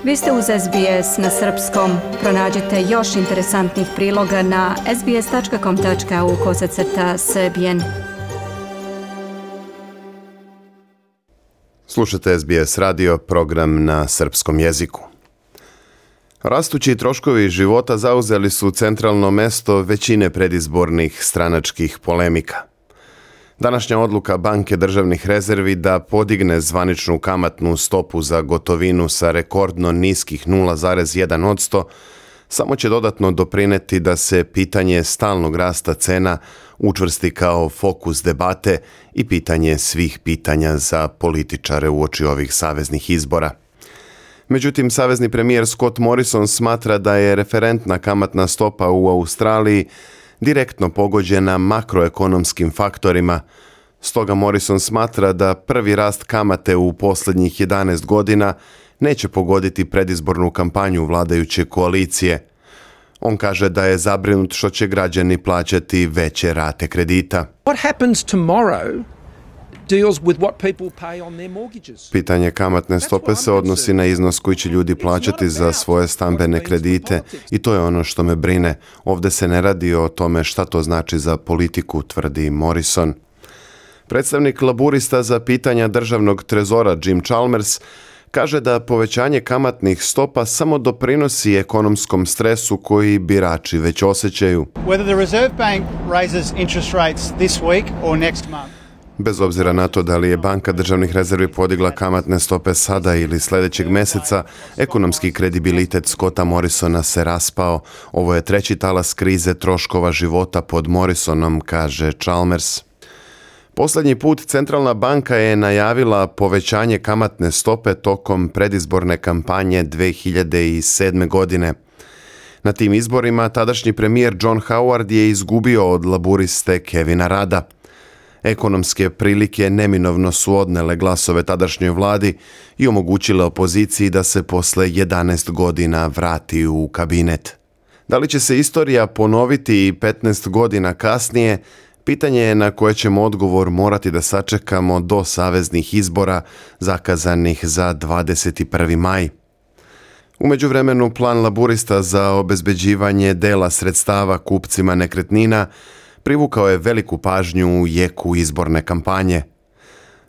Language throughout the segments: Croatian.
Vi ste uz SBS na srpskom. Pronađite još interesantnih priloga na sbs.com.au/srbijen. Slušate SBS radio, program na srpskom jeziku. Rastući troškovi života zauzeli su centralno mesto većine predizbornih stranačkih polemika. Današnja odluka Banke državnih rezervi da podigne zvaničnu kamatnu stopu za gotovinu sa rekordno niskih 0,1% samo će dodatno doprineti da se pitanje stalnog rasta cena učvrsti kao fokus debate i pitanje svih pitanja za političare uoči ovih saveznih izbora. Međutim, savezni premijer Scott Morrison smatra da je referentna kamatna stopa u Australiji direktno pogođena makroekonomskim faktorima. Stoga Morrison smatra da prvi rast kamate u posljednjih 11 godina neće pogoditi predizbornu kampanju vladajuće koalicije. On kaže da je zabrinut što će građani plaćati veće rate kredita. What happens tomorrow deals with what people pay on their mortgages. Pitanje kamatne stope se odnosi na iznos koji će ljudi plaćati za svoje stambene kredite i to je ono što me brine. Ovdje se ne radi o tome šta to znači za politiku, tvrdi Morrison. Predstavnik laburista za pitanja državnog trezora Jim Chalmers kaže da povećanje kamatnih stopa samo doprinosi ekonomskom stresu koji birači već osjećaju. Whether the Reserve Bank raises interest rates this week or next month. Bez obzira na to da li je Banka državnih rezervi podigla kamatne stope sada ili sljedećeg mjeseca, ekonomski kredibilitet Scotta Morrisona se raspao. Ovo je treći talas krize troškova života pod Morrisonom, kaže Chalmers. Posljednji put centralna banka je najavila povećanje kamatne stope tokom predizborne kampanje 2007. godine. Na tim izborima tadašnji premijer John Howard je izgubio od laburiste Kevina Rudda. Ekonomske prilike neminovno su odnele glasove tadašnjoj vladi i omogućile opoziciji da se posle 11 godina vrati u kabinet. Da li će se istorija ponoviti i 15 godina kasnije, pitanje je na koje ćemo odgovor morati da sačekamo do saveznih izbora zakazanih za 21. maj. U međuvremenu plan laburista za obezbeđivanje dela sredstava kupcima nekretnina privukao je veliku pažnju u jeku izborne kampanje.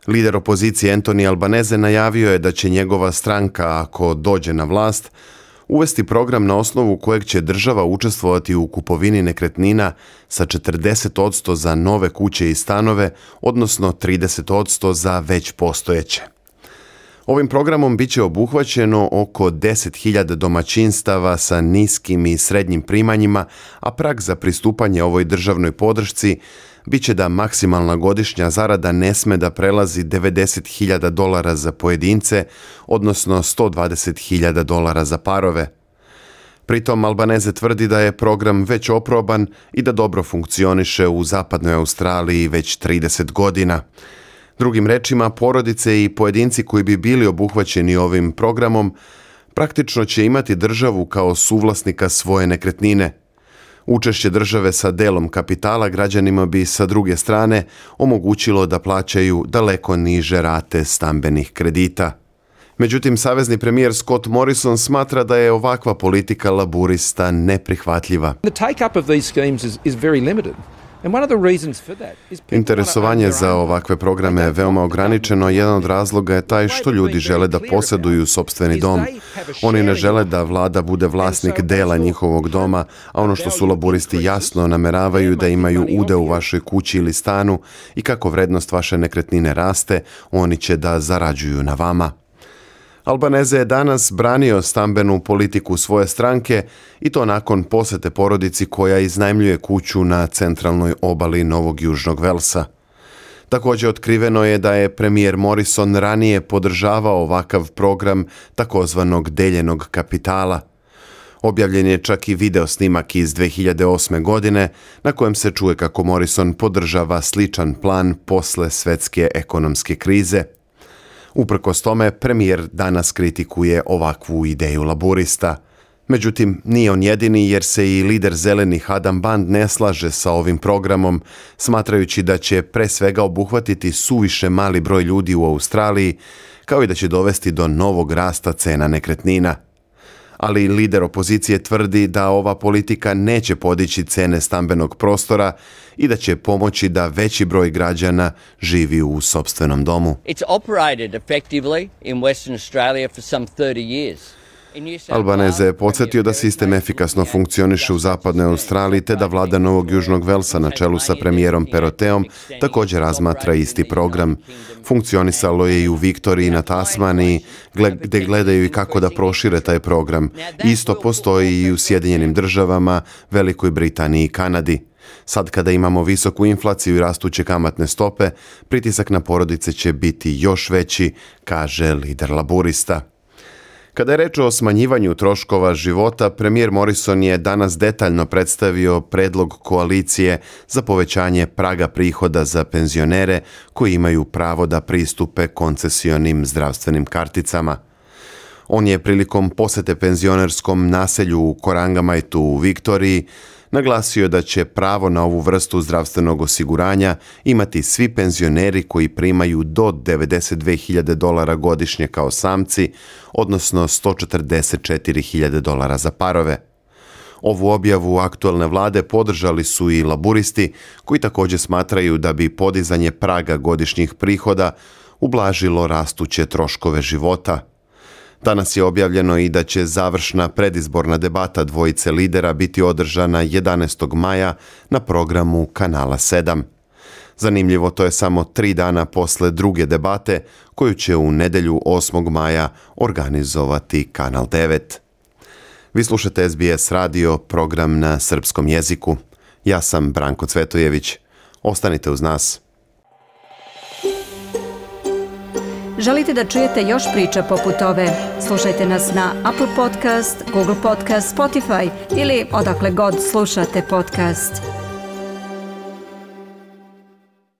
Lider opozicije Anthony Albanese najavio je da će njegova stranka, ako dođe na vlast, uvesti program na osnovu kojeg će država učestvovati u kupovini nekretnina sa 40% za nove kuće i stanove, odnosno 30% za već postojeće. Ovim programom bit će obuhvaćeno oko 10.000 domaćinstava sa niskim i srednjim primanjima, a prag za pristupanje ovoj državnoj podršci bit će da maksimalna godišnja zarada ne sme da prelazi $90.000 za pojedince, odnosno $120.000 za parove. Pritom Albanese tvrdi da je program već oproban i da dobro funkcioniše u zapadnoj Australiji već 30 godina. Drugim rečima, porodice i pojedinci koji bi bili obuhvaćeni ovim programom praktično će imati državu kao suvlasnika svoje nekretnine. Učešće države sa delom kapitala građanima bi sa druge strane omogućilo da plaćaju daleko niže rate stambenih kredita. Međutim, savezni premijer Scott Morrison smatra da je ovakva politika laburista neprihvatljiva. The take-up of these schemes is very limited. Interesovanje za ovakve programe je veoma ograničeno. Jedan od razloga je taj što ljudi žele da posjeduju sopstveni dom. Oni ne žele da vlada bude vlasnik dela njihovog doma, a ono što su laburisti jasno nameravaju da imaju udeo u vašoj kući ili stanu i kako vrednost vaše nekretnine raste, oni će da zarađuju na vama. Albanese je danas branio stambenu politiku svoje stranke i to nakon posjete porodici koja iznajmljuje kuću na centralnoj obali Novog Južnog Velsa. Također otkriveno je da je premijer Morrison ranije podržavao ovakav program takozvanog deljenog kapitala. Objavljen je čak i video snimak iz 2008. godine na kojem se čuje kako Morrison podržava sličan plan posle svetske ekonomske krize. Uprkos tome, premijer danas kritikuje ovakvu ideju laburista. Međutim, nije on jedini jer se i lider zelenih Adam Band ne slaže sa ovim programom, smatrajući da će pre svega obuhvatiti suviše mali broj ljudi u Australiji, kao i da će dovesti do novog rasta cena nekretnina. Ali lider opozicije tvrdi da ova politika neće podići cene stambenog prostora i da će pomoći da veći broj građana živi u sopstvenom domu. It's operated effectively in Western Australia for some 30 years. Albanese je podsjetio da sistem efikasno funkcioniše u zapadnoj Australiji te da vlada Novog Južnog Velsa na čelu sa premijerom Peroteom također razmatra isti program. Funkcionisalo je i u Viktoriji na Tasmaniji, gdje gledaju i kako da prošire taj program. Isto postoji i u Sjedinjenim Državama, Velikoj Britaniji i Kanadi. Sad kada imamo visoku inflaciju i rastuće kamatne stope, pritisak na porodice će biti još veći, kaže lider laburista. Kada je reč o smanjivanju troškova života, premijer Morrison je danas detaljno predstavio predlog koalicije za povećanje praga prihoda za penzionere koji imaju pravo da pristupe koncesionim zdravstvenim karticama. On je prilikom posete penzionerskom naselju u Korangamajtu u Viktoriji naglasio da će pravo na ovu vrstu zdravstvenog osiguranja imati svi penzioneri koji primaju do $92.000 godišnje kao samci, odnosno $144.000 za parove. Ovu objavu aktualne vlade podržali su i laburisti, koji također smatraju da bi podizanje praga godišnjih prihoda ublažilo rastuće troškove života. Danas je objavljeno i da će završna predizborna debata dvojice lidera biti održana 11. maja na programu Kanala 7. Zanimljivo, to je samo 3 dana posle druge debate koju će u nedjelju 8. maja organizovati Kanal 9. Vi slušate SBS radio, program na srpskom jeziku. Ja sam Branko Cvetojević. Ostanite uz nas. Želite da čujete još priča poput ove? Slušajte nas na Apple Podcast, Google Podcast, Spotify ili odakle god slušate podcast.